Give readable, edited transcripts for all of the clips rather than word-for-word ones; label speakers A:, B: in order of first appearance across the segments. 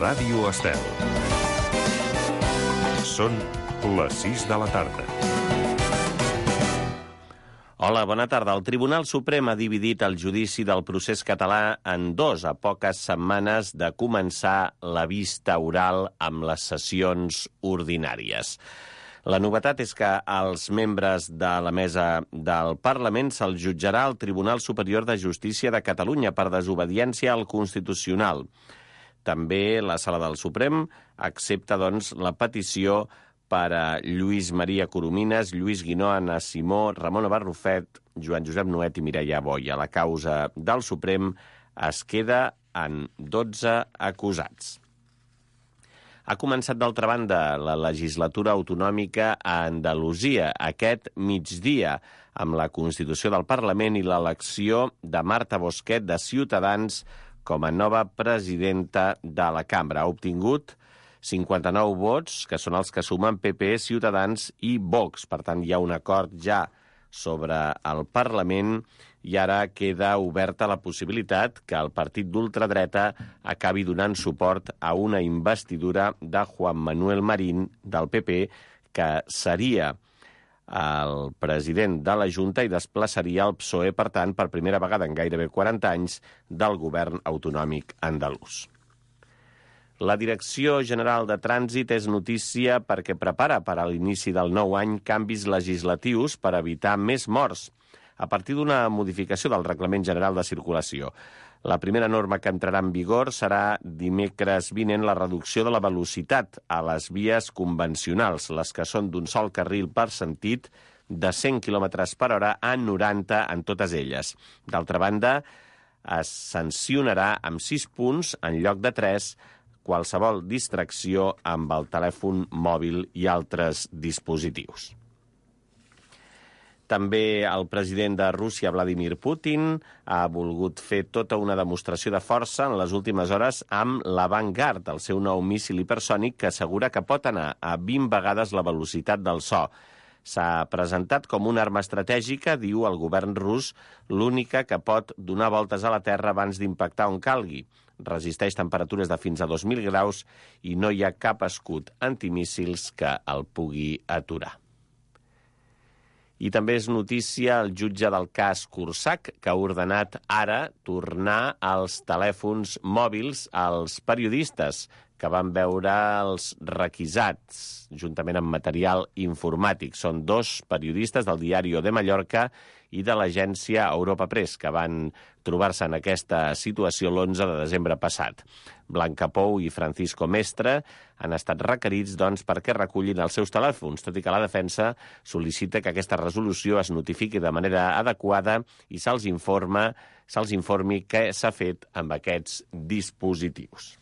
A: Ràdio Estel. Són les 6 de la tarda.
B: Hola, bona tarda. El Tribunal Suprem ha dividit el judici del procés català en dos a poques setmanes de començar la vista oral amb les sessions ordinàries. La novetat és que als membres de la mesa del Parlament se'ls jutjarà al Tribunal Superior de Justícia de Catalunya per desobediència al Constitucional. També la Sala del Suprem accepta, doncs, la petició per a Lluís Maria Coromines, Lluís Guinó, Anna Simó, Ramon Barrufet, Joan Josep Nuet i Mireia Boia. La causa del Suprem es queda en 12 acusats. Ha començat, d'altra banda, la legislatura autonòmica a Andalusia aquest migdia, amb la constitució del Parlament i l'elecció de Marta Bosquet de Ciutadans com a nova presidenta de la cambra. Ha obtingut 59 vots, que són els que sumen PP, Ciutadans i Vox. Per tant, hi ha un acord ja sobre el Parlament i ara queda oberta la possibilitat que el partit d'ultradreta acabi donant suport a una investidura de Juan Manuel Marín del PP, que seria el president de la Junta i desplaçaria el PSOE, per tant, per primera vegada en gairebé 40 anys del govern autonòmic andalús. La Direcció General de Trànsit és notícia perquè prepara per a l'inici del nou any canvis legislatius per evitar més morts a partir d'una modificació del Reglament General de Circulació. La primera norma que entrarà en vigor serà dimecres vinent la reducció de la velocitat a les vies convencionals, les que són d'un sol carril per sentit, de 100 km per hora a 90 en totes elles. D'altra banda, es sancionarà amb 6 punts en lloc de 3 qualsevol distracció amb el telèfon mòbil i altres dispositius. També el president de Rússia, Vladimir Putin, ha volgut fer tota una demostració de força en les últimes hores amb l'Avangard, el seu nou míssil hipersònic que assegura que pot anar a 20 vegades la velocitat del so. S'ha presentat com una arma estratègica, diu el govern rus, l'única que pot donar voltes a la Terra abans d'impactar on calgui. Resisteix temperatures de fins a 2.000 graus i no hi ha cap escut antimíssils que el pugui aturar. I també és notícia el jutge del cas Cursac, que ha ordenat ara tornar als telèfons mòbils als periodistes que van veure els requisats, juntament amb material informàtic. Són 2 periodistes del Diario de Mallorca i de l'agència Europa Press, que van trobar-se en aquesta situació l'11 de desembre passat. Blanca Pou i Francisco Mestre han estat requerits, doncs, perquè recullin els seus telèfons, tot i que la defensa sol·licita que aquesta resolució es notifiqui de manera adequada i se'ls informi què s'ha fet amb aquests dispositius.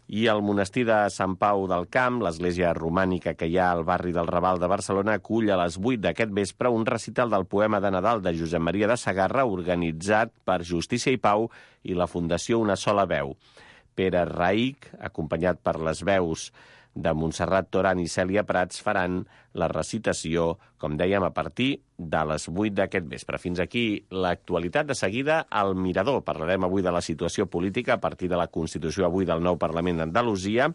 B: I el monestir de Sant Pau del Camp, l'església romànica que hi ha al barri del Raval de Barcelona, acull a les 8 d'aquest vespre un recital del poema de Nadal de Josep Maria de Sagarra organitzat per Justícia i Pau i la Fundació Una Sola Veu. Pere Raïc, acompanyat per les veus de Montserrat Toran i Cèlia Prats, faran la recitació, com dèiem, a partir de les 8 d'aquest vespre. Fins aquí l'actualitat. De seguida, al Mirador. Parlarem avui de la situació política a partir de la Constitució avui del nou Parlament d'Andalusia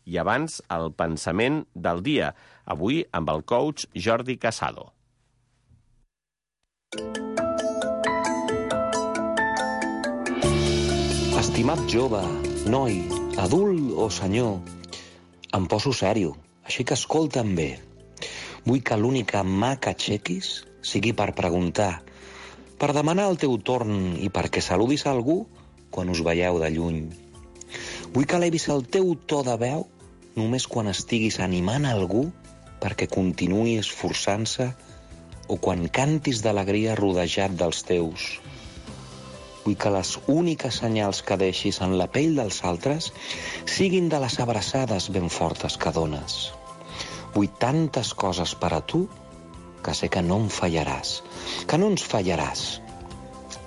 B: i abans el pensament del dia, avui amb el coach Jordi Casado.
C: Estimat jove, noi, adult o senyor, em poso sèrio, així que escolta'm bé. Vull que l'única mà que aixequis sigui per preguntar, per demanar el teu torn i perquè saludis algú quan us veieu de lluny. Vull que elevis el teu to de veu només quan estiguis animant algú perquè continuï esforçant-se o quan cantis d'alegria rodejat dels teus. Vull que les úniques senyals que deixis en la pell dels altres siguin de les abraçades ben fortes que dones. Vull tantes coses per a tu que sé que no em fallaràs, que no ens fallaràs.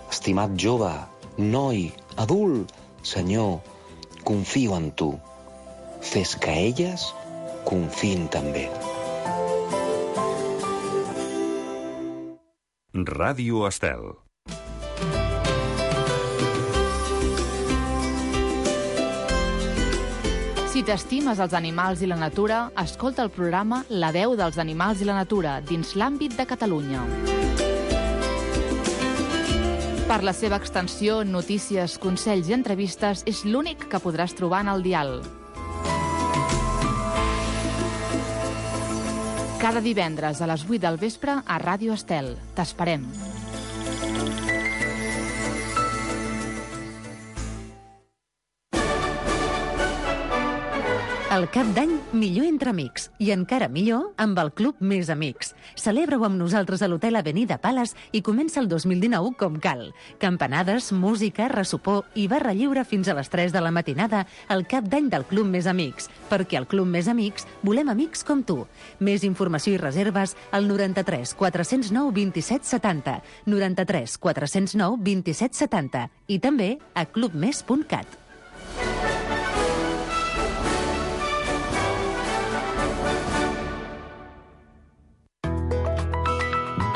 C: Estimat jove, noi, adult, senyor, confio en tu. Fes que elles confiïn també.
A: Ràdio Estel.
D: Si t'estimes els animals i la natura, escolta el programa La veu dels animals i la natura dins l'àmbit de Catalunya. Per la seva extensió, notícies, consells i entrevistes, és l'únic que podràs trobar en el dial. Cada divendres a les 8 del vespre a Ràdio Estel. T'esperem.
E: El cap d'any, millor entre amics. I encara millor amb el Club Més Amics. Celebra-ho amb nosaltres a l'Hotel Avenida Palace i comença el 2019 com cal. Campanades, música, ressopor i barra lliure fins a les 3 de la matinada al cap d'any del Club Més Amics. Perquè al Club Més Amics volem amics com tu. Més informació i reserves al 93 409 27 70, 93 409 27 70 i també a clubmes.cat.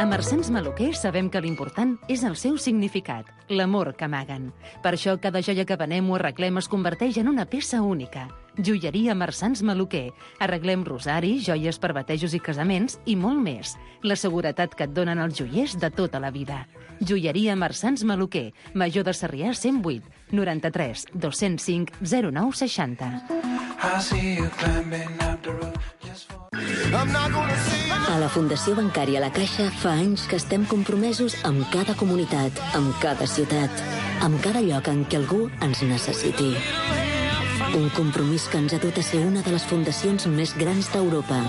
E: A Marsans Maluquer sabem que l'important és el seu significat, l'amor que amaguen. Per això cada joia que venem o arreglem es converteix en una peça única. Joieria Marsans Maluquer. Arreglem rosaris, joies per batejos i casaments i molt més. La seguretat que et donen els joiers de tota la vida. Joieria Marsans Maluquer. Major de Sarrià 108, 93 205 09 60.
F: A la Fundació Bancària La Caixa fa anys que estem compromesos amb cada comunitat, amb cada ciutat, amb cada lloc en què algú ens necessiti. Un compromís que ens ha dut a ser una de les fundacions més grans d'Europa.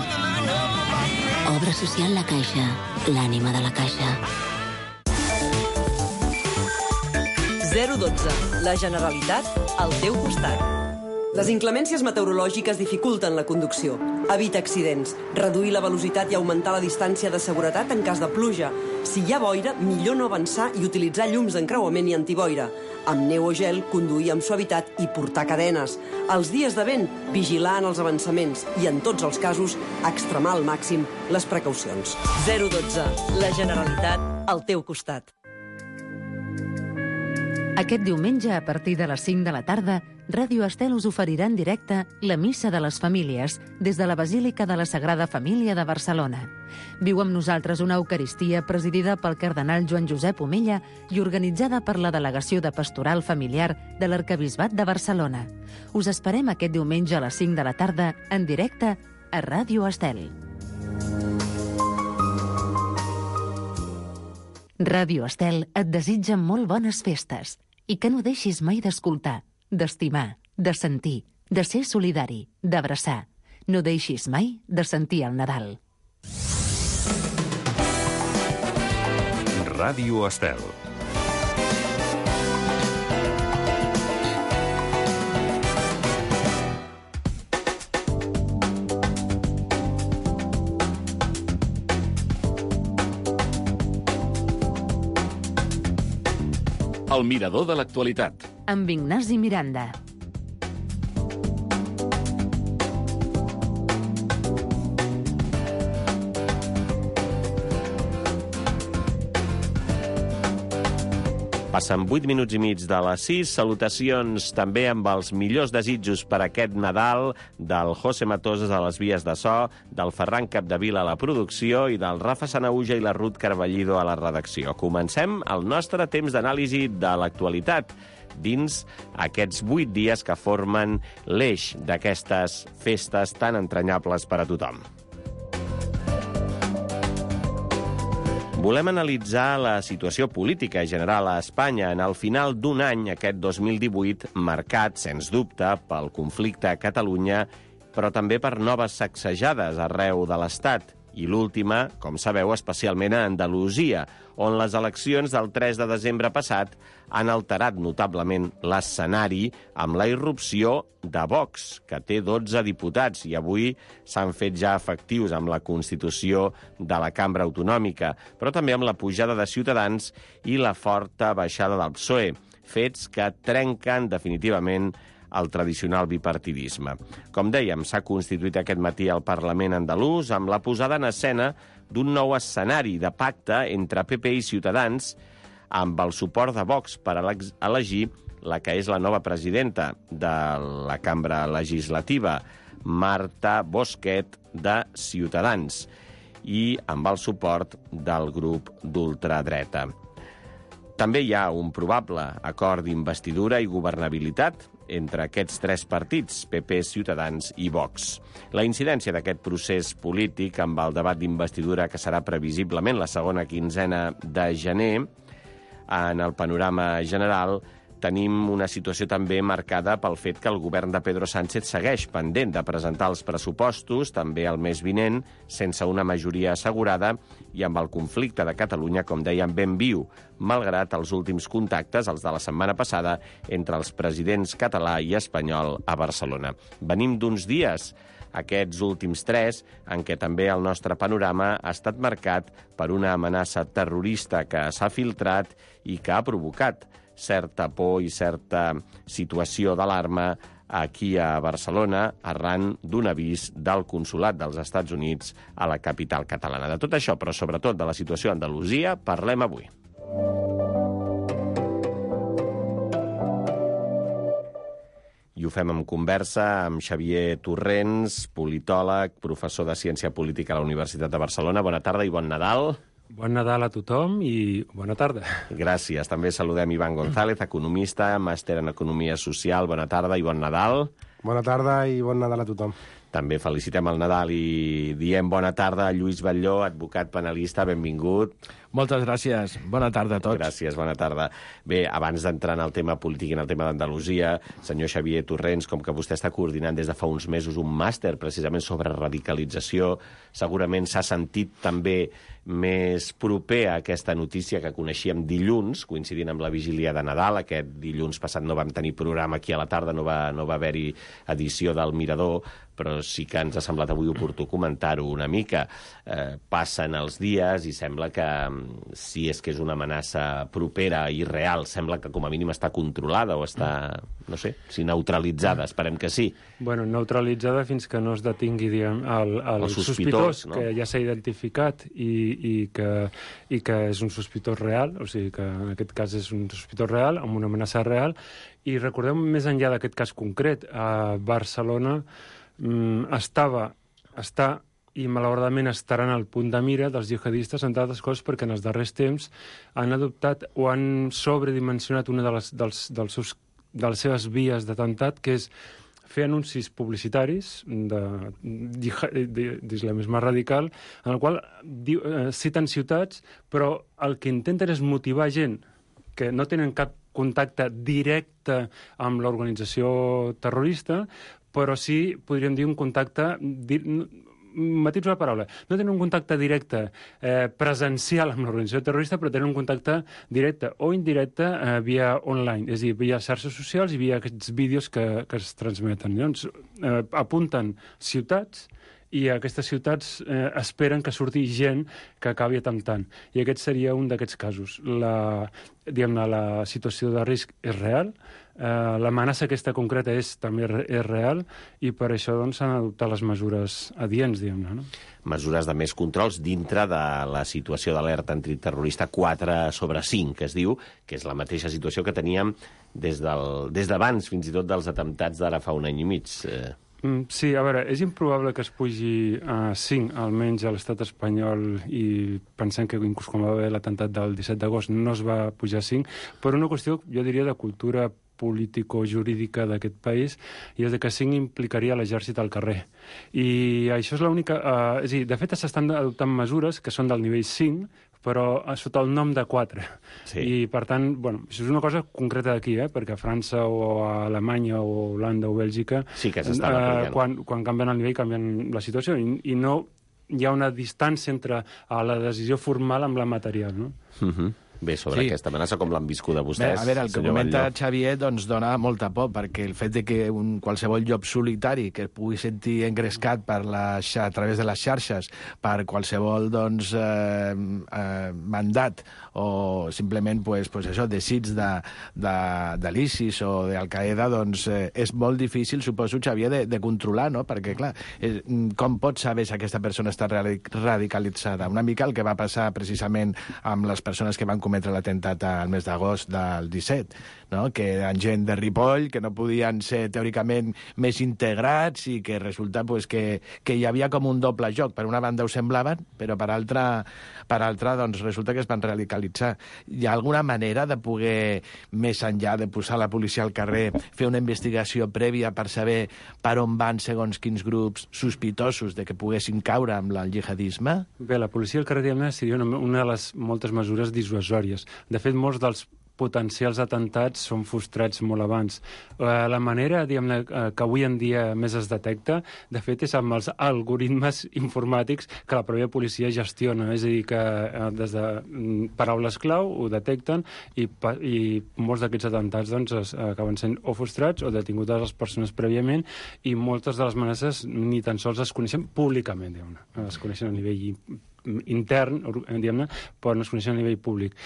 F: Obra social La Caixa, l'ànima de la Caixa.
G: 012. La Generalitat al teu costat. Les inclemències meteorològiques dificulten la conducció. Evita accidents, reduir la velocitat i augmentar la distància de seguretat en cas de pluja. Si hi ha boira, millor no avançar i utilitzar llums d'encreuament i antiboira. Amb neu o gel, conduir amb suavitat i portar cadenes. Els dies de vent, vigilar en els avançaments i, en tots els casos, extremar al màxim les precaucions. 012. La Generalitat al teu costat.
E: Aquest diumenge, a partir de les 5 de la tarda, Ràdio Estel us oferirà en directe la Missa de les Famílies des de la Basílica de la Sagrada Família de Barcelona. Viu amb nosaltres una Eucaristia presidida pel cardenal Joan Josep Omella i organitzada per la Delegació de Pastoral Familiar de l'Arquebisbat de Barcelona. Us esperem aquest diumenge a les 5 de la tarda en directe a Ràdio Estel. Ràdio Estel et desitja molt bones festes i que no deixis mai d'escoltar, d'estimar, de sentir, de ser solidari, d'abraçar. No deixis mai de sentir el Nadal.
A: Ràdio Estel.
H: El mirador de l'actualitat.
E: Amb Ignasi Miranda.
B: Passen 8 minuts i mig de les 6. Salutacions també amb els millors desitjos per aquest Nadal del José Matoses a les vies de so, del Ferran Capdevila a la producció i del Rafa Sanauja i la Ruth Carballido a la redacció. Comencem el nostre temps d'anàlisi de l'actualitat dins aquests 8 dies que formen l'eix d'aquestes festes tan entranyables per a tothom. Volem analitzar la situació política general a Espanya en el final d'un any, aquest 2018, marcat, sens dubte, pel conflicte a Catalunya, però també per noves sacsejades arreu de l'Estat. I l'última, com sabeu, especialment a Andalusia, on les eleccions del 3 de desembre passat han alterat notablement l'escenari amb la irrupció de Vox, que té 12 diputats i avui s'han fet ja efectius amb la constitució de la Cambra Autonòmica, però també amb la pujada de Ciutadans i la forta baixada del PSOE, fets que trenquen definitivament el tradicional bipartidisme. Com dèiem, s'ha constituït aquest matí al Parlament andalús amb la posada en escena d'un nou escenari de pacte entre PP i Ciutadans amb el suport de Vox per elegir la que és la nova presidenta de la cambra legislativa, Marta Bosquet, de Ciutadans, i amb el suport del grup d'ultradreta. També hi ha un probable acord d'investidura i governabilitat entre aquests tres partits, PP, Ciutadans i Vox. La incidència d'aquest procés polític amb el debat d'investidura, que serà previsiblement la segona quinzena de gener, en el panorama general tenim una situació també marcada pel fet que el govern de Pedro Sánchez segueix pendent de presentar els pressupostos, també el mes vinent, sense una majoria assegurada i amb el conflicte de Catalunya, com dèiem, ben viu, malgrat els últims contactes, els de la setmana passada, entre els presidents català i espanyol a Barcelona. Venim d'uns dies, aquests últims 3, en què també el nostre panorama ha estat marcat per una amenaça terrorista que s'ha filtrat i que ha provocat certa por i certa situació d'alarma aquí a Barcelona, arran d'un avís del Consolat dels Estats Units a la capital catalana. De tot això, però sobretot de la situació a Andalusia, parlem avui. I ho fem en conversa amb Xavier Torrents, politòleg, professor de Ciència Política a la Universitat de Barcelona. Bona tarda i bon Nadal.
I: Bon Nadal a tothom i bona tarda.
B: Gràcies. També saludem Ivan González, economista, màster en Economia Social. Bona tarda i bon Nadal.
J: Bona tarda i bon Nadal a tothom.
B: També felicitem el Nadal i diem bona tarda a Lluís Batlló, advocat penalista, benvingut.
K: Moltes gràcies. Bona tarda a tots.
B: Gràcies, bona tarda. Bé, abans d'entrar en el tema polític i en el tema d'Andalusia, senyor Xavier Torrents, com que vostè està coordinant des de fa uns mesos un màster precisament sobre radicalització, segurament s'ha sentit també més proper a aquesta notícia que coneixíem dilluns, coincidint amb la vigília de Nadal. Aquest dilluns passat no vam tenir programa aquí a la tarda, no va haver-hi edició del Mirador, però sí que ens ha semblat avui oportú comentar-ho una mica. Passen els dies i sembla que, si és que és una amenaça propera i real, sembla que com a mínim està controlada o està, no sé, si neutralitzada, esperem que sí.
I: Bueno, neutralitzada fins que no es detingui, diguem, el sospitós, no? Que ja s'ha identificat i que és un sospitós real, o sigui que en aquest cas és un sospitós real, amb una amenaça real. I recordem, més enllà d'aquest cas concret, a Barcelona està i malauradament estaran al punt de mira dels jihadistes, entre altres coses perquè en els darrers temps han adoptat o han sobredimensionat una de les seves vies d'atemptat, que és fer anuncis publicitaris d'islamisme radical, en el qual citen ciutats, però el que intenten és motivar gent que no tenen cap contacte directe amb l'organització terrorista, però sí, podríem dir, un contacte... Matitzo la paraula. No tenen un contacte directe presencial amb l'organització terrorista, però tenen un contacte directe o indirecte via online, és a dir, via xarxes socials i via aquests vídeos que es transmeten. Llavors, apunten ciutats i a aquestes ciutats esperen que surti gent que acabi atemptant. I aquest seria un d'aquests casos. La situació de risc és real, l'amenaça aquesta concreta també és real i per això s'han adoptat les mesures adients, diguem-ne, no?
B: Mesures de més controls dintre de la situació d'alerta antiterrorista 4/5, que es diu, que és la mateixa situació que teníem des d'abans, fins i tot dels atemptats d'ara fa un any i mig.
I: Sí, a veure, és improbable que es pugi a 5, almenys a l'estat espanyol, i pensem que inclús quan va haver l'atemptat del 17 d'agost no es va pujar a 5, per una qüestió, jo diria, de cultura político-jurídica d'aquest país, i és que 5 implicaria l'exèrcit al carrer. I això és l'única... és a dir, de fet, s'estan adoptant mesures que són del nivell 5, però sota el nom de 4. Sí. I, per tant, bueno, això és una cosa concreta d'aquí, perquè a França o a Alemanya o Holanda o Bèlgica,
B: sí que quan
I: canvien el nivell, canvien la situació, i no hi ha una distància entre la decisió formal amb la material, no?
B: Bé, sobre aquesta amenaça, com l'han viscut a vostès?
K: Bé, a veure, el que comenta Xavier dona molta por, perquè el fet de que qualsevol llop solitari que pugui sentir engrescat a través de les xarxes per qualsevol mandat o simplement desig de l'ISIS o d'Al-Qaeda, és molt difícil, suposo, Xavier, de controlar, no? Perquè, clar, com pots saber si aquesta persona està radicalitzada? Una mica el que va passar precisament amb les persones que van cometre cometre l'atemptat al mes d'agost del 17, no? Que eren gent de Ripoll, que no podien ser teòricament més integrats i que resulta pues, que hi havia com un doble joc. Per una banda ho semblaven, però per altra doncs, resulta que es van radicalitzar. Hi ha alguna manera de poder, més enllà de posar la policia al carrer, fer una investigació prèvia per saber per on van segons quins grups sospitosos de que poguessin caure amb el jihadisme?
I: Bé, la policia al carrer seria una de les moltes mesures dissuasòries. De fet, molts dels potencials atentats són frustrats molt abans. La manera, diguem-ne, que avui en dia més es detecta, de fet, és amb els algoritmes informàtics que la pròpia policia gestiona. És a dir, que des de paraules clau ho detecten i molts d'aquests atentats doncs, acaben sent o frustrats o detingudes les persones prèviament i moltes de les amenaces ni tan sols es coneixen públicament, diguem-ne. Es coneixen a nivell intern, diguem-ne, però no es coneixen a nivell públic.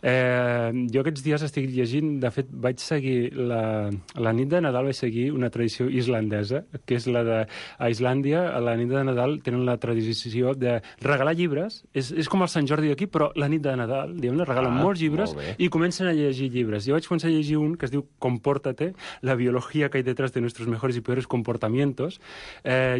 I: Jo aquests dies estic llegint, de fet vaig seguir la nit de Nadal, vaig seguir una tradició islandesa, que és la de a Islàndia, a la nit de Nadal tenen la tradició de regalar llibres, és com el Sant Jordi d'aquí, però la nit de Nadal, diguem-ne, regalen molts llibres i comencen a llegir llibres. Jo vaig començar a llegir un que es diu Compórtate, la biología que hay detrás de nuestros mejores y peores comportamientos.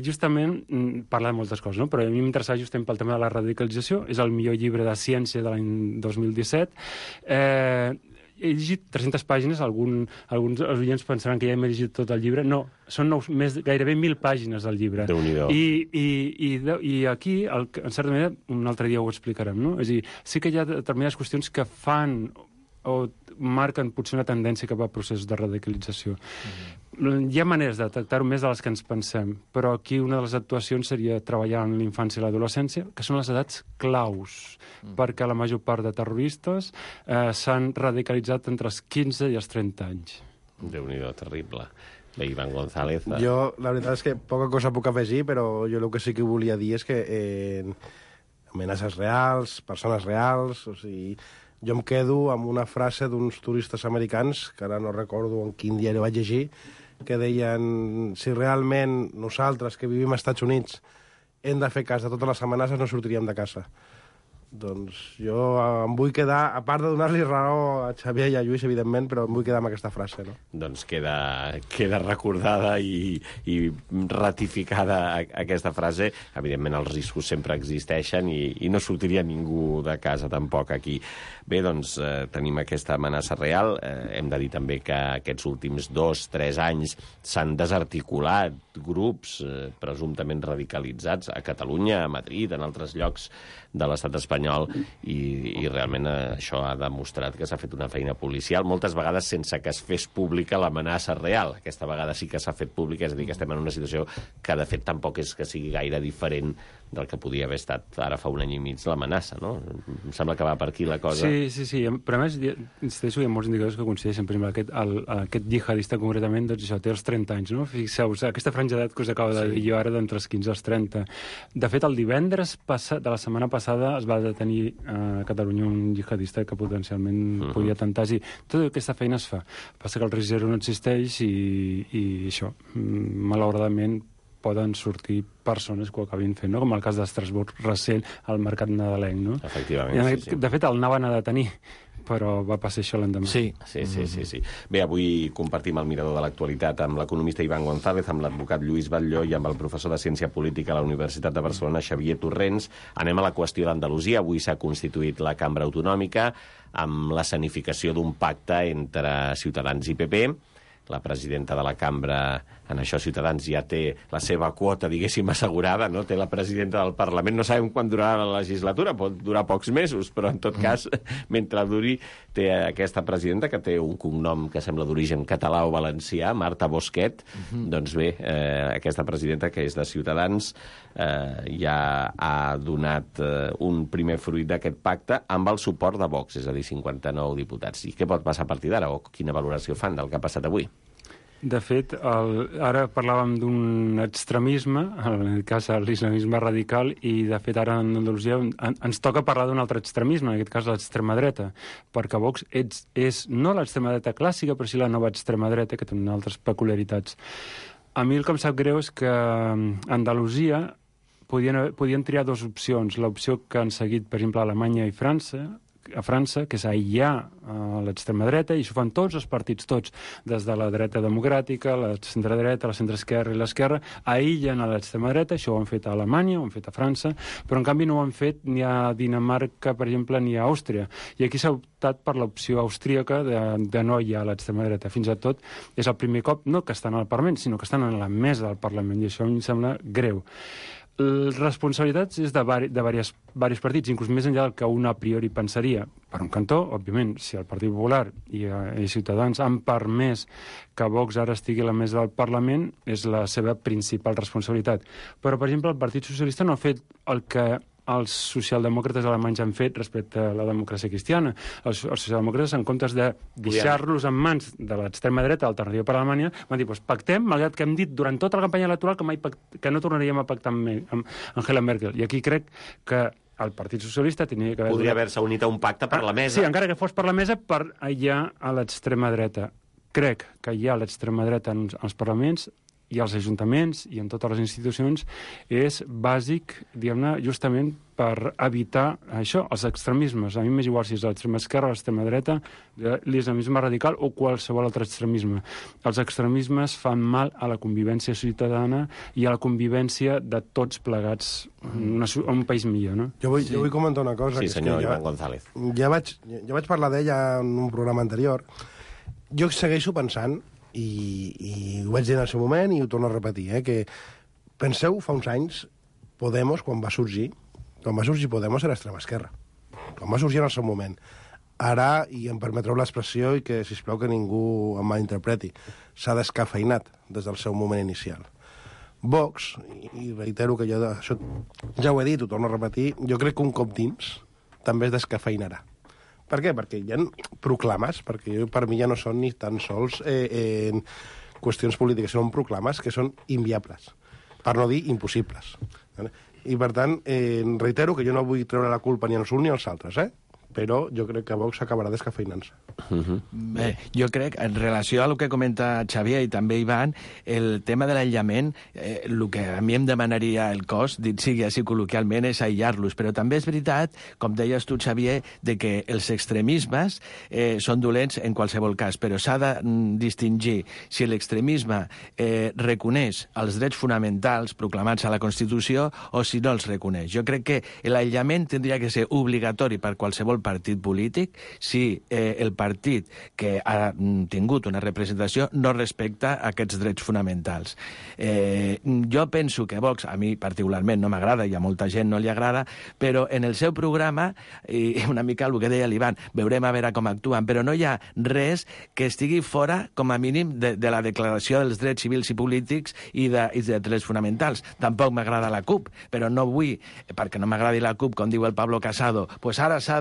I: Justament parla de moltes coses, no? Però a mi m'interessava justament pel tema de la radicalització, és el millor llibre de ciència de l'any 2017. He llegit 300 pàgines, alguns oients pensaran que ja hem llegit tot el llibre. No, són gairebé 1.000 pàgines del llibre.
B: Déu-n'hi-do.
I: I aquí, en certa manera, un altre dia ho explicarem, no? És a dir, sí que hi ha determinades qüestions que fan o marquen potser una tendència cap a processos de radicalització. Hi ha maneres de detectar-ho més de les que ens pensem, però aquí una de les actuacions seria treballar en l'infància i l'adolescència, que són les edats claus, perquè la major part de terroristes s'han radicalitzat entre els 15 i els 30 anys.
B: Déu-n'hi-do, terrible. Bé, Iván González.
J: Jo, la veritat és que poca cosa puc afegir, però jo el que sí que volia dir és que amenaces reals, persones reals, o sigui, jo em quedo amb una frase d'uns turistes americans, que ara no recordo en quin diari vaig llegir, que deien, si realment nosaltres, que vivim als Estats Units, hem de fer cas de totes les amenaces, no sortiríem de casa. Doncs jo em vull quedar, a part de donar-li raó a Xavier i a Lluís, evidentment, però em vull quedar amb aquesta frase, no?
B: Doncs queda recordada i ratificada aquesta frase. Evidentment, els riscos sempre existeixen i no sortiria ningú de casa tampoc aquí. Bé, doncs tenim aquesta amenaça real. Hem de dir també que aquests últims 2-3 anys s'han desarticulat grups presumptament radicalitzats a Catalunya, a Madrid, en altres llocs de l'estat espanyol i realment això ha demostrat que s'ha fet una feina policial, moltes vegades sense que es fes pública l'amenaça real. Aquesta vegada sí que s'ha fet pública, és a dir, que estem en una situació que de fet tampoc és que sigui gaire diferent del que podia haver estat ara fa un any i mig l'amenaça, no? Em sembla que va per aquí la cosa.
I: Sí. Però a més, insisteixo, hi ha molts indicadors que coincideixen. Per exemple, aquest jihadista concretament, doncs això, té els 30 anys, no? Fixeu-vos, aquesta franja d'edat que us acabo de dir jo ara d'entre els 15 als 30. De fet, el divendres de la setmana passada es va detenir a Catalunya un jihadista que potencialment podia atemptar. Tota aquesta feina es fa. Passa que el risc zero no existeix i això, malauradament, poden sortir persones que ho acabin fent, no? Com el cas d'Estrasburg recent al mercat nadalenc, no?
B: Efectivament, sí.
I: De fet, el anaven a detenir, però va passar això l'endemà.
B: Sí. Bé, avui compartim el mirador de l'actualitat amb l'economista Iván González, amb l'advocat Lluís Batlló i amb el professor de Ciència Política a la Universitat de Barcelona, Xavier Torrents. Anem a la qüestió d'Andalusia. Avui s'ha constituït la cambra autonòmica amb l'escenificació d'un pacte entre Ciutadans i PP. La presidenta de la cambra, en això Ciutadans ja té la seva quota, diguéssim, assegurada, no? Té la presidenta del Parlament, no sabem quan durarà la legislatura, pot durar pocs mesos, però en tot cas, mentre duri, té aquesta presidenta que té un cognom que sembla d'origen català o valencià, Marta Bosquet. Doncs bé, aquesta presidenta, que és de Ciutadans, ja ha donat un primer fruit d'aquest pacte amb el suport de Vox, és a dir, 59 diputats. I què pot passar a partir d'ara, o quina valoració fan del que ha passat avui?
I: De fet, ara parlàvem d'un extremisme, en aquest cas l'islamisme radical, i de fet ara en Andalusia ens toca parlar d'un altre extremisme, en aquest cas l'extrema dreta, perquè Vox és no l'extrema dreta clàssica, però sí la nova extrema dreta, que té altres peculiaritats. A mi el que em sap greu és que a Andalusia podien triar dues opcions. L'opció que han seguit, per exemple, Alemanya i França, a França, que és aïllar l'extrema dreta, i això fan tots els partits, tots, des de la dreta democràtica, la centredreta, la centreesquerra i l'esquerra, aïllen a l'extrema dreta. Això ho han fet a Alemanya, ho han fet a França, però en canvi no ho han fet ni a Dinamarca, per exemple, ni a Àustria. I aquí s'ha optat per l'opció austríaca de no aïllar a l'extrema dreta. Fins i tot és el primer cop, no que estan al Parlament, sinó que estan a la mesa del Parlament, i això a mi em sembla greu. Les responsabilitats és de diversos partits, inclús més enllà del que un a priori pensaria. Per un cantó, òbviament, si el Partit Popular i Ciutadans han permès que Vox ara estigui a la mesa del Parlament, és la seva principal responsabilitat. Però, per exemple, el Partit Socialista no ha fet el que els socialdemòcrates alemanys han fet respecte a la democràcia cristiana. Els socialdemòcrates, en comptes de deixar-los en mans de l'extrema dreta Alternativa per Alemanya, van dir, doncs pactem, malgrat que hem dit durant tota la campanya electoral que no tornaríem a pactar amb Angela Merkel. I aquí crec que el Partit Socialista tenia que
B: podria haver-se unit a un pacte per la mesa.
I: Sí, encara que fos per la mesa, per aïllar a l'extrema dreta. Crec que aïllar a l'extrema dreta en els parlaments i als ajuntaments i en totes les institucions és bàsic, diguem-ne, justament per evitar això, els extremismes. A mi m'és igual si és l'extrema esquerra, l'extrema dreta, l'islamisme radical o qualsevol altre extremisme. Els extremismes fan mal a la convivència ciutadana i a la convivència de tots plegats a un país millor, no?
J: Jo vull comentar una cosa.
B: Sí, senyor Iván González.
J: Ja vaig parlar d'ella en un programa anterior. Jo segueixo pensant, i ho vaig dir en el seu moment i ho torno a repetir, que penseu, fa uns anys, Podemos, quan va sorgir Podemos era extrema esquerra. Quan va sorgir en el seu moment. Ara, i em permetreu l'expressió i que, sisplau, que ningú em malinterpreti, s'ha descafeinat des del seu moment inicial. Vox, i reitero que això ja ho he dit, ho torno a repetir, jo crec que un cop dins també es descafeinarà. Per què? Perquè hi ha proclames, perquè per mi ja no són ni tan sols qüestions polítiques, són proclames que són inviables, per no dir impossibles. I, per tant, reitero que jo no vull treure la culpa ni als uns ni als altres, però jo crec que Vox acabarà descafeinant-se.
K: Bé, jo crec, en relació a el que comenta Xavier i també Ivan, el tema de l'aïllament, el que a mi em demanaria el cos, dit sigui així col·loquialment, és aïllar-los. Però també és veritat, com deies tu, Xavier, de que els extremismes són dolents en qualsevol cas, però s'ha de distingir si l'extremisme reconeix els drets fonamentals proclamats a la Constitució o si no els reconeix. Jo crec que l'aïllament tindria que ser obligatori per qualsevol partit polític si el partit que ha tingut una representació no respecta aquests drets fonamentals. Jo penso que Vox, a mi particularment no m'agrada i a molta gent no li agrada, però en el seu programa, i una mica el que deia l'Ivan, veurem a veure com actuen, però no hi ha res que estigui fora, com a mínim, de la declaració dels drets civils i polítics i de drets fonamentals. Tampoc m'agrada la CUP, però no vull, perquè no m'agradi la CUP, com diu el Pablo Casado, pues ara s'ha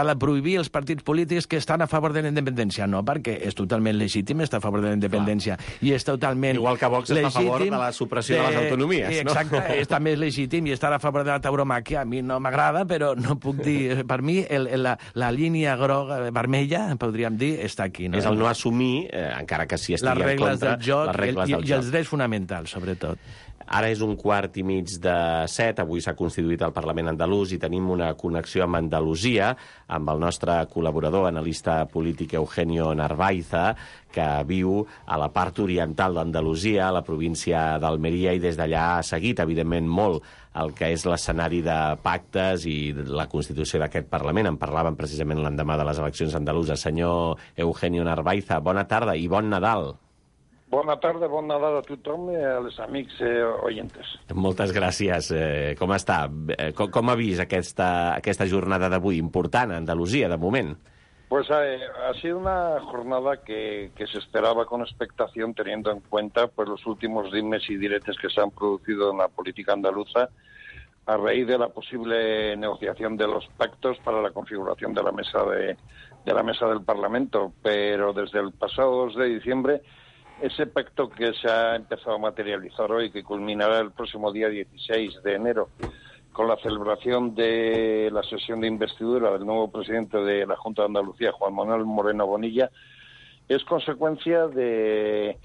K: de prohibir els partits polítics que estan a favor de la independència. No, perquè és totalment legítim estar a favor de la independència. I és totalment
B: igual que Vox està a favor de la supressió de les autonomies, no?
K: Exacte, és també legítim i estar a favor de la tauromàquia. A mi no m'agrada, però no puc dir... Per mi, la línia groga, vermella, podríem dir, està aquí. No?
B: És el no assumir, encara que si estigui en contra, les regles del joc.
K: I els drets fonamentals, sobretot.
B: Ara és 6:15. Avui s'ha constituït el Parlament andalús i tenim una connexió amb Andalusia, amb el nostre col·laborador, analista polític Eugenio Narvaiza, que viu a la part oriental d'Andalusia, a la província d'Almeria, i des d'allà ha seguit, evidentment, molt el que és l'escenari de pactes i la constitució d'aquest Parlament. En parlàvem precisament l'endemà de les eleccions andaluses. Senyor Eugenio Narvaiza, bona tarda i bon Nadal.
L: Bona tarda, bon Nadal a tothom i als amics oyentes.
B: Moltes gràcies. Com està? Com ha vist aquesta jornada d'avui? Important a Andalusia, de moment.
L: Pues ha sido una jornada que se esperaba con expectación, teniendo en cuenta pues los últimos dimes y diretes que se han producido en la política andaluza a raíz de la posible negociación de los pactos para la configuración de la mesa del Parlamento. Pero desde el pasado 2 de diciembre, ese pacto que se ha empezado a materializar hoy, que culminará el próximo día 16 de enero, con la celebración de la sesión de investidura del nuevo presidente de la Junta de Andalucía, Juan Manuel Moreno Bonilla, es consecuencia de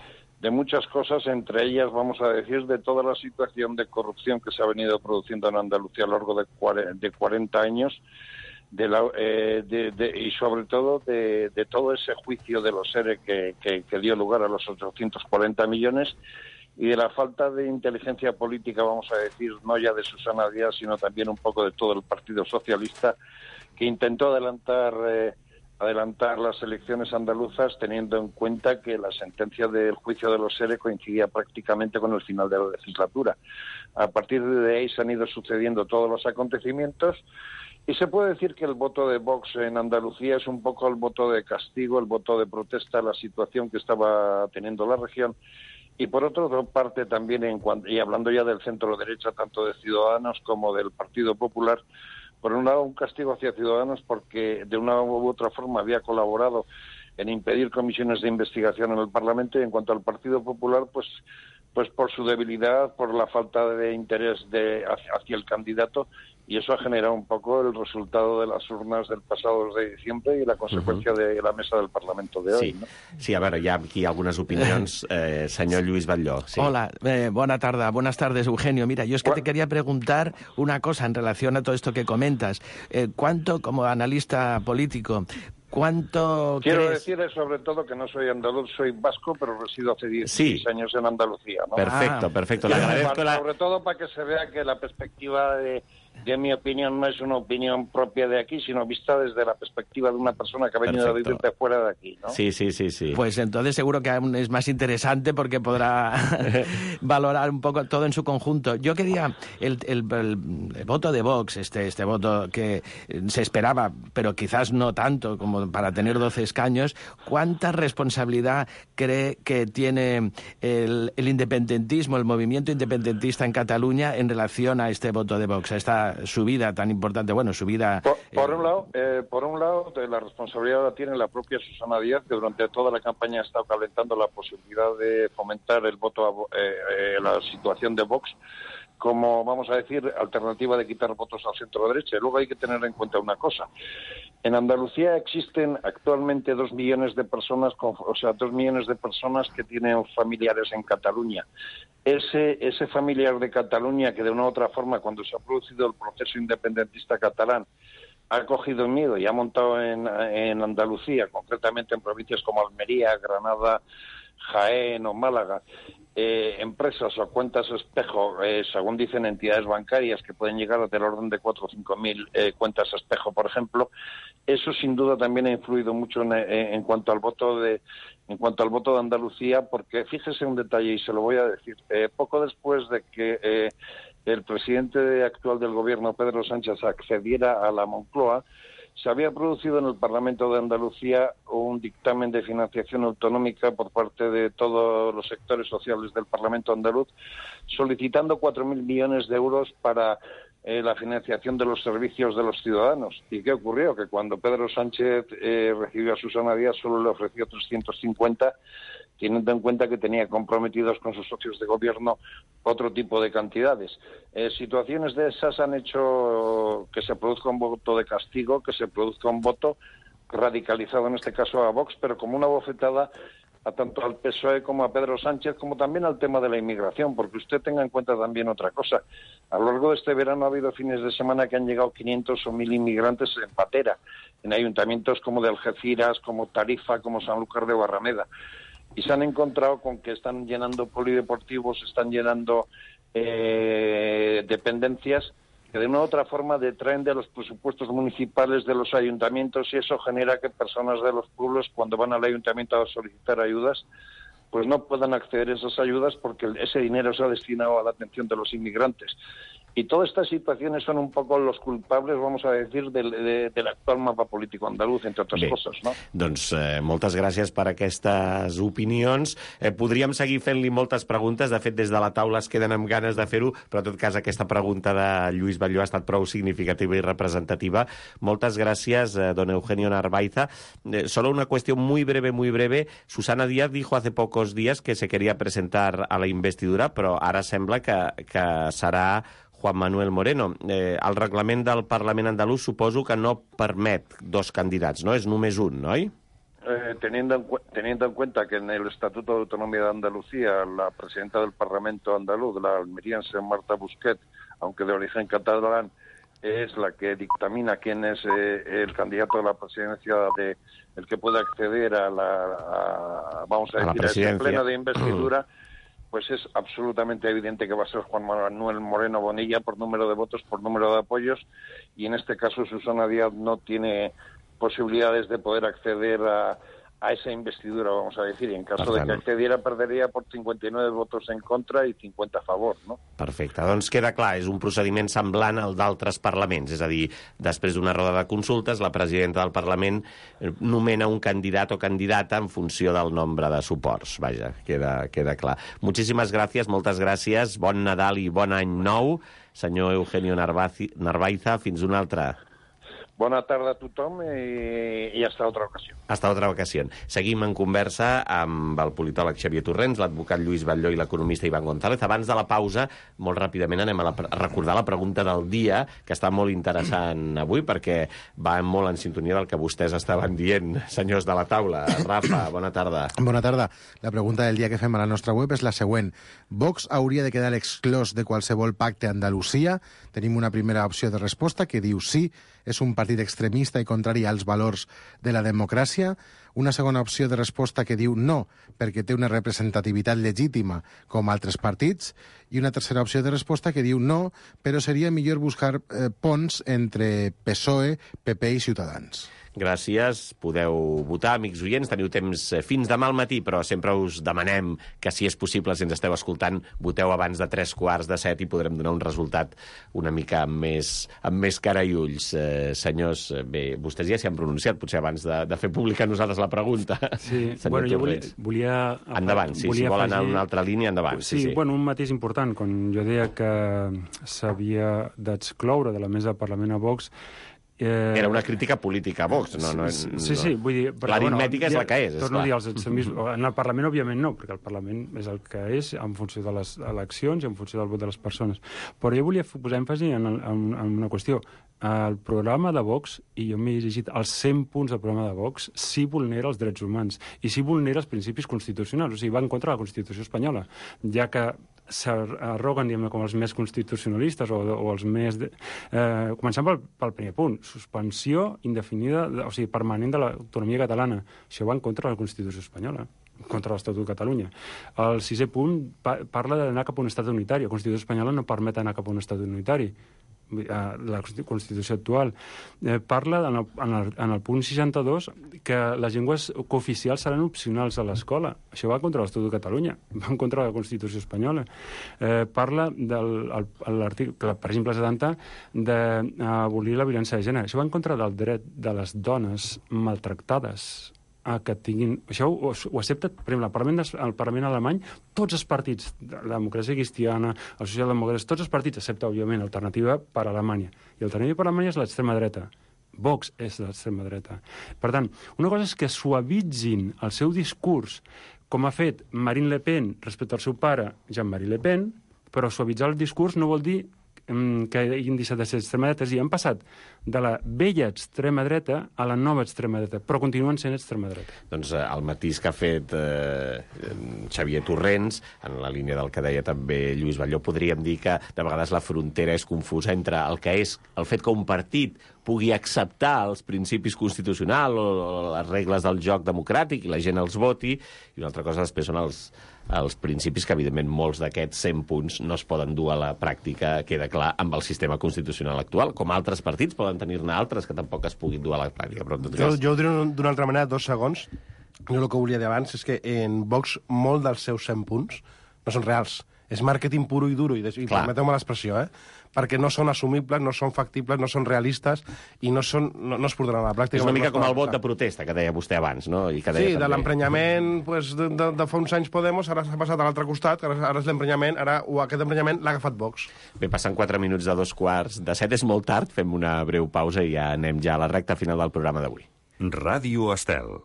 L: muchas cosas, entre ellas, vamos a decir, de toda la situación de corrupción que se ha venido produciendo en Andalucía a lo largo de 40 años, y sobre todo de todo ese juicio de los ERE que dio lugar a los 840 millones y de la falta de inteligencia política, vamos a decir, no ya de Susana Díaz, sino también un poco de todo el Partido Socialista, que intentó adelantar las elecciones andaluzas teniendo en cuenta que la sentencia del juicio de los ERE coincidía prácticamente con el final de la legislatura. A partir de ahí se han ido sucediendo todos los acontecimientos y se puede decir que el voto de Vox en Andalucía es un poco el voto de castigo, el voto de protesta a la situación que estaba teniendo la región. Y por otra parte también, y hablando ya del centro derecha, tanto de Ciudadanos como del Partido Popular, por un lado un castigo hacia Ciudadanos porque de una u otra forma había colaborado en impedir comisiones de investigación en el Parlamento, y en cuanto al Partido Popular, pues por su debilidad, por la falta de interés hacia el candidato, y eso ha generado un poco el resultado de las urnas del pasado 2 de diciembre y la consecuencia de la mesa del Parlamento de hoy.
B: Sí,
L: ¿no?
B: sí, a veure, hi ha aquí algunes opinions. Senyor Lluís Batlló. Sí.
K: Hola, buenas tardes, Eugenio. Mira, yo es que te quería preguntar una cosa en relación a todo esto que comentas. ¿Cuánto, como analista político, quiero
L: decir sobre todo que no soy andaluz, soy vasco, pero resido hace 16 años en Andalucía, ¿no?
B: Perfecto. Le agradezco
L: sobre todo para que se vea que la perspectiva de mi opinión no es una opinión propia de aquí, sino vista desde la perspectiva de una persona que ha venido a vivir de fuera de aquí, ¿no?
B: Sí.
K: Pues entonces seguro que aún es más interesante porque podrá valorar un poco todo en su conjunto. Yo quería el voto de Vox, este voto que se esperaba, pero quizás no tanto como para tener 12 escaños, ¿cuánta responsabilidad cree que tiene el independentismo, el movimiento independentista en Cataluña en relación a este voto de Vox, a esta subida tan importante? Bueno, subida...
L: Por un lado, la responsabilidad la tiene la propia Susana Díaz, que durante toda la campaña ha estado calentando la posibilidad de fomentar el voto la situación de Vox como, vamos a decir, alternativa de quitar votos al centro-derecha. Luego hay que tener en cuenta una cosa. En Andalucía existen actualmente 2 millones de personas, 2 millones de personas que tienen familiares en Cataluña. Ese familiar de Cataluña que de una u otra forma, cuando se ha producido el proceso independentista catalán, ha cogido miedo y ha montado en Andalucía, concretamente en provincias como Almería, Granada, Jaén o Málaga, empresas o cuentas espejo, según dicen entidades bancarias, que pueden llegar del orden de 4 o 5 mil cuentas espejo, por ejemplo. Eso sin duda también ha influido mucho en cuanto al voto de Andalucía, porque fíjese un detalle y se lo voy a decir. Poco después de que el presidente actual del gobierno, Pedro Sánchez, accediera a la Moncloa, se había producido en el Parlamento de Andalucía un dictamen de financiación autonómica por parte de todos los sectores sociales del Parlamento andaluz, solicitando 4.000 millones de euros para la financiación de los servicios de los ciudadanos. ¿Y qué ocurrió? Que cuando Pedro Sánchez recibió a Susana Díaz solo le ofreció 350, teniendo en cuenta que tenía comprometidos con sus socios de gobierno otro tipo de cantidades. Situaciones de esas han hecho que se produzca un voto de castigo, que se produzca un voto radicalizado, en este caso a Vox, pero como una bofetada a tanto al PSOE como a Pedro Sánchez, como también al tema de la inmigración, porque usted tenga en cuenta también otra cosa. A lo largo de este verano ha habido fines de semana que han llegado 500 o 1.000 inmigrantes en patera, en ayuntamientos como de Algeciras, como Tarifa, como Sanlúcar de Barrameda. Y se han encontrado con que están llenando polideportivos, están llenando dependencias que de una u otra forma detraen de los presupuestos municipales de los ayuntamientos, y eso genera que personas de los pueblos, cuando van al ayuntamiento a solicitar ayudas, pues no puedan acceder a esas ayudas porque ese dinero se ha destinado a la atención de los inmigrantes. Y todas estas situaciones son un poco los culpables, vamos a decir, del actual mapa político andaluz, entre otras coses, no?
B: Doncs moltes gràcies per aquestes opinions. Podríem seguir fent-li moltes preguntes. De fet, des de la taula es queden amb ganes de fer-ho, però en tot cas aquesta pregunta de Lluís Batlló ha estat prou significativa i representativa. Moltes gràcies, don Eugenio Narvaiza. Solo una cuestión muy breve. Susana Díaz dijo hace pocos días que se quería presentar a la investidura, però ara sembla que serà Juan Manuel Moreno. El reglament del Parlament andalús suposo que no permet 2 candidats, no? És només un, no?
L: Teniendo en cuenta que en el Estatuto de Autonomía de Andalucía la presidenta del Parlamento andaluz, la almeriense Marta Busquet, aunque de origen catalán, es la que dictamina quién es el candidato a la presidencia, el que puede acceder a este pleno de investidura, pues es absolutamente evidente que va a ser Juan Manuel Moreno Bonilla por número de votos, por número de apoyos, y en este caso Susana Díaz no tiene posibilidades de poder acceder a esa investidura, vamos a decir, y en caso de que accediera perderia por 59 votos en contra i 50 a favor, no?
B: Perfecte, doncs queda clar, és un procediment semblant al d'altres parlaments, és a dir, després d'una roda de consultes, la presidenta del Parlament nomena un candidat o candidata en funció del nombre de suports. Vaja, queda clar. Moltíssimes gràcies, moltes gràcies, bon Nadal i bon any nou, senyor Eugenio Narvaiza, fins una altra.
L: Bona tarda a tothom i hasta otra ocasión.
B: Hasta otra ocasión. Seguim en conversa amb el politòleg Xavier Torrents, l'advocat Lluís Batlló i l'economista Iván González. Abans de la pausa, molt ràpidament anem a recordar la pregunta del dia, que està molt interessant avui, perquè va molt en sintonia del que vostès estaven dient, senyors de la taula. Rafa, bona tarda.
M: Bona tarda. La pregunta del dia que fem a la nostra web és la següent. Vox hauria de quedar exclòs de qualsevol pacte a Andalusia? Tenim una primera opció de resposta que diu sí, és un partit extremista i contrari als valors de la democràcia. Una segona opció de resposta que diu no, perquè té una representativitat legítima com altres partits. I una tercera opció de resposta que diu no, però seria millor buscar ponts entre PSOE, PP i Ciutadans.
B: Gràcies. Podeu votar, amics oients. Teniu temps fins demà al matí, però sempre us demanem que, si és possible, si ens esteu escoltant, voteu abans de 7:45 i podrem donar un resultat una mica amb més cara i ulls. Senyors, bé, vostès ja s'hi han pronunciat, potser abans de fer pública nosaltres la pregunta.
I: Sí, bueno, jo volia...
B: Endavant, sí, si vol anar a una altra línia, endavant.
I: Sí, bueno, un matís important. Quan jo deia que s'havia d'excloure de la mesa del Parlament a Vox,
B: era una crítica política a Vox.
I: Sí, vull dir...
B: L'aritmètica és la que és,
I: torno a dir, en el Parlament, òbviament, no, perquè el Parlament és el que és en funció de les eleccions i en funció del vot de les persones. Però jo volia posar èmfasi en una qüestió. El programa de Vox, i jo m'he llegit els 100 punts del programa de Vox, sí vulnera els drets humans i sí vulnera els principis constitucionals, o sigui, va en contra de la Constitució espanyola, ja que s'arroguen, diguem-ne, com els més constitucionalistes o els més... Començant pel primer punt, suspensió indefinida, o sigui, permanent de l'autonomia catalana. Això va en contra de la Constitució espanyola, contra l'Estatut de Catalunya. El sisè punt parla d'anar cap a un estat unitari. La Constitució espanyola no permet anar cap a un estat unitari. La Constitució actual parla en el punt 62 que les llengües cooficials seran opcionals a l'escola. Això va contra l'Estatut de Catalunya, va contra la Constitució espanyola. Parla de l'article, per exemple, 70, d'abolir la violència de gènere. Això va en contra del dret de les dones maltractades que tinguin... Això ho accepta, per exemple, el Parlament alemany, tots els partits, la democràcia cristiana, els socialdemòcrates, tots els partits, excepte, òbviament, Alternativa per Alemanya. I Alternativa per Alemanya és l'extrema dreta. Vox és l'extrema dreta. Per tant, una cosa és que suavitzin el seu discurs, com ha fet Marine Le Pen respecte al seu pare, Jean-Marie Le Pen, però suavitzar el discurs no vol dir que hagin deixat de ser extrema dreta. I han passat de la vella extrema dreta a la nova extrema dreta, però continuen sent extrema dreta.
B: Doncs el matís que ha fet Xavier Torrents, en la línia del que deia també Lluís Batlló, podríem dir que de vegades la frontera és confusa entre el que és el fet que un partit pugui acceptar els principis constitucionals o les regles del joc democràtic i la gent els voti, i una altra cosa després són els principis que, evidentment, molts d'aquests 100 punts no es poden dur a la pràctica, queda clar, amb el sistema constitucional actual, com altres partits poden tenir-ne altres que tampoc es puguin dur a la pràctica. Però
J: jo ho diré d'una altra manera, 2 segons. Jo el que volia dir abans és que en Vox molt dels seus 100 punts no són reals. És màrqueting puro i duro, i permeteu-me l'expressió, perquè no són assumibles, no són factibles, no són realistes i no es portaran a la pràctica.
B: És una mica com el vot de protesta que deia vostè abans, no? I que deia
J: sí,
B: també...
J: de l'emprenyament de fa uns anys Podemos, ara s'ha passat a l'altre costat, ara és l'emprenyament, aquest emprenyament l'ha agafat Vox.
B: Bé, passant 4 minuts de 7:15, és molt tard, fem una breu pausa i ja anem ja a la recta final del programa d'avui.
A: Ràdio Estel.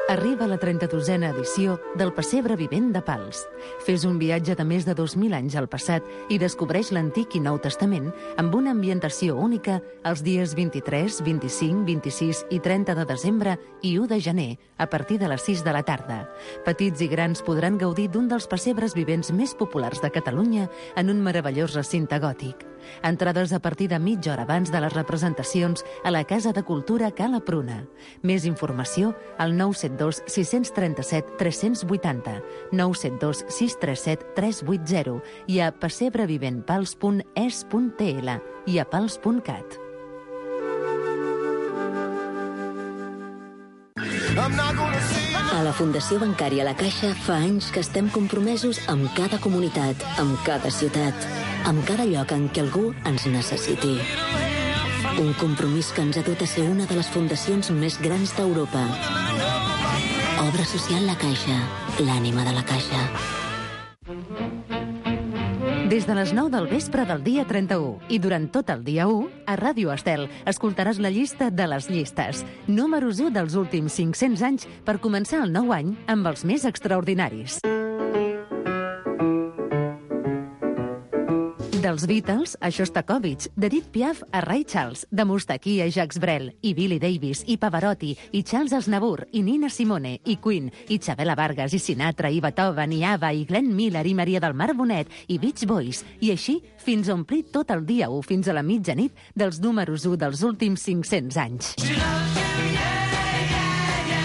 E: Arriba la 32a edició del Pessebre Vivent de Pals. Fes un viatge de més de 2.000 anys al passat i descobreix l'Antic i Nou Testament amb una ambientació única els dies 23, 25, 26 i 30 de desembre i 1 de gener, a partir de les 6 de la tarda. Petits i grans podran gaudir d'un dels pessebres vivents més populars de Catalunya en un meravellós recinte gòtic. Entrades a partir de mitja hora abans de les representacions a la Casa de Cultura Cala Pruna. Més informació al 972 637 380, 972 637 380 i a pessebrevimentpals.es.tl i a pals.cat.
F: A la Fundació Bancària La Caixa fa anys que estem compromesos amb cada comunitat, amb cada ciutat, amb cada lloc en què algú ens necessiti. Un compromís que ens ha dut a ser una de les fundacions més grans d'Europa. Obra social La Caixa, l'ànima de la Caixa.
E: Des de les 9 del vespre del dia 31 i durant tot el dia 1, a Ràdio Estel escoltaràs la llista de les llistes. Números 1 dels últims 500 anys per començar el nou any amb els més extraordinaris. Dels Beatles a Shostakovich, d'Edith Piaf a Ray Charles, de Moustaki a Jacques Brel, i Billy Davis, i Pavarotti, i Charles Aznavour, i Nina Simone, i Queen, i Chabela Vargas, i Sinatra, i Beethoven, i Ava, i Glenn Miller, i Maria del Mar Bonet, i Beach Boys, i així fins a omplir tot el dia 1 fins a la mitjanit dels números 1 dels últims 500 anys.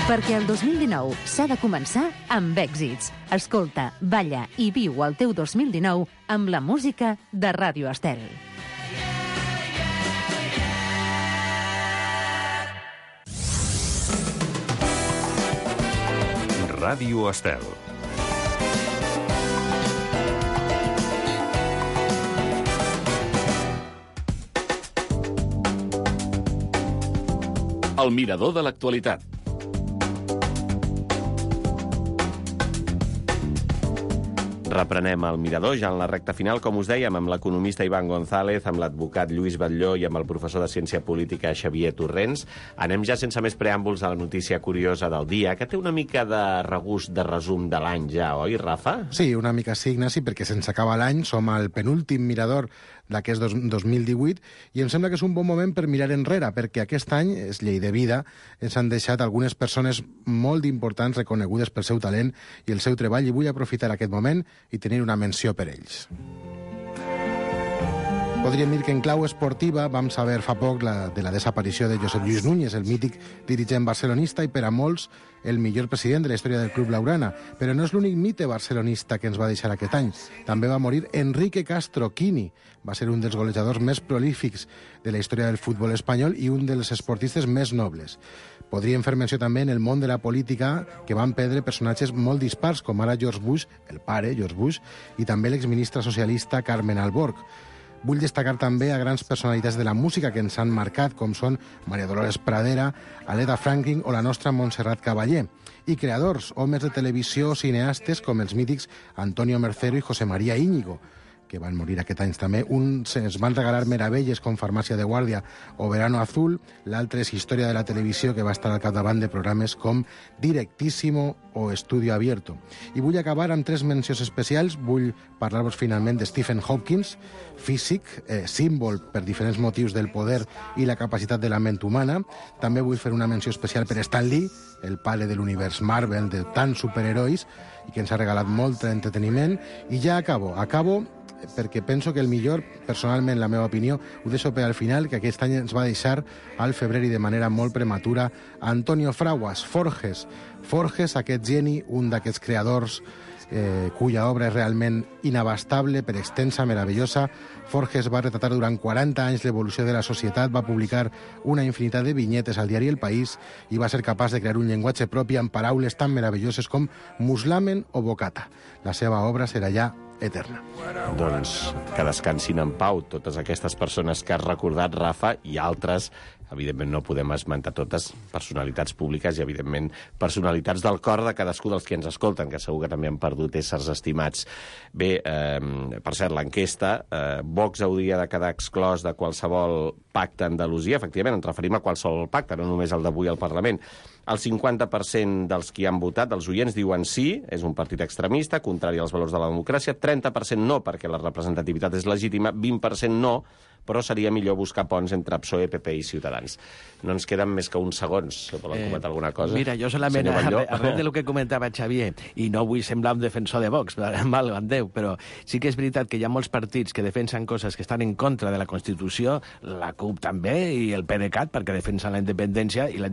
E: Perquè el 2019 s'ha de començar amb èxits. Escolta, balla i viu el teu 2019 amb la música de Ràdio Estel.
A: Ràdio Estel.
H: El mirador de l'actualitat.
B: Reprenem el mirador ja en la recta final, com us dèiem, amb l'economista Ivan González, amb l'advocat Lluís Batlló i amb el professor de Ciència Política Xavier Torrents. Anem ja sense més preàmbuls a la notícia curiosa del dia, que té una mica de regust de resum de l'any ja, oi, Rafa?
M: Sí, una mica sí, Ignasi, perquè sense acabar l'any som al penúltim mirador d'aquest 2018 i em sembla que és un bon moment per mirar enrere, perquè aquest any, és llei de vida, ens han deixat algunes persones molt importants reconegudes pel seu talent i el seu treball, i vull aprofitar aquest moment i tenir una menció per ells. Podríem dir que en clau esportiva vam saber fa poc de la desaparició de Josep Lluís Núñez, el mític dirigent barcelonista i per a molts el millor president de la història del Club Blaugrana. Però no és l'únic mite barcelonista que ens va deixar aquest any. També va morir Enrique Castro Quini. Va ser un dels golejadors més prolífics de la història del futbol espanyol i un dels esportistes més nobles. Podríem fer menció també en el món de la política que van perdre personatges molt dispars, com ara George Bush, el pare, George Bush, i també l'exministre socialista Carmen Alborg. Vull destacar també a grans personalitats de la música que ens han marcat, com són Maria Dolores Pradera, Aretha Franklin o la nostra Montserrat Caballé. I creadors, homes de televisió, cineastes, com els mítics Antonio Mercero i José María Íñigo, que van morir aquest any també. Uns ens van regalar meravelles com Farmàcia de Guàrdia o Verano Azul, l'altre és Història de la Televisió, que va estar al capdavant de programes com Directísimo o Estudio Abierto. I vull acabar amb 3 mencions especials. Vull parlar-vos finalment de Stephen Hawking, físic, símbol per diferents motius del poder i la capacitat de la ment humana. També vull fer una menció especial per Stan Lee, el pare de l'univers Marvel, de tants superherois, i que ens ha regalat molt entreteniment. I ja acabo perquè penso que el millor, personalment, la meva opinió, ho deixo per al final, que aquest any ens va deixar al febrer i de manera molt prematura Antonio Fraguas, Forges, aquest geni, un d'aquests creadors cuya obra és realment inabastable, per extensa, meravellosa. Forges va retratar durant 40 anys l'evolució de la societat, va publicar una infinitat de vinyetes al diari El País i va ser capaç de crear un llenguatge propi amb paraules tan meravelloses com muslamen o bocata. La seva obra serà ja eterna.
B: Doncs que descansin en pau totes aquestes persones que has recordat, Rafa, i altres evidentment no podem esmentar totes, personalitats públiques i, evidentment, personalitats del cor de cadascú dels que ens escolten, que segur que també han perdut éssers estimats. Bé, per cert, l'enquesta, Vox hauria de quedar exclòs de qualsevol pacte a Andalusia. Efectivament, ens referim a qualsevol pacte, no només el d'avui al Parlament. El 50% dels qui han votat, dels oients, diuen sí, és un partit extremista, contrari als valors de la democràcia, 30% no, perquè la representativitat és legítima, 20% no, però seria millor buscar ponts entre PSOE, PP i Ciutadans. No ens queden més que uns segons. Volen comentar alguna cosa?
K: Mira, jo solament, arrel del que comentava Xavier, i no vull semblar un defensor de Vox, mal en Déu, però sí que és veritat que hi ha molts partits que defensen coses que estan en contra de la Constitució, la CUP també, i el PDeCAT, perquè defensen la independència, i la independència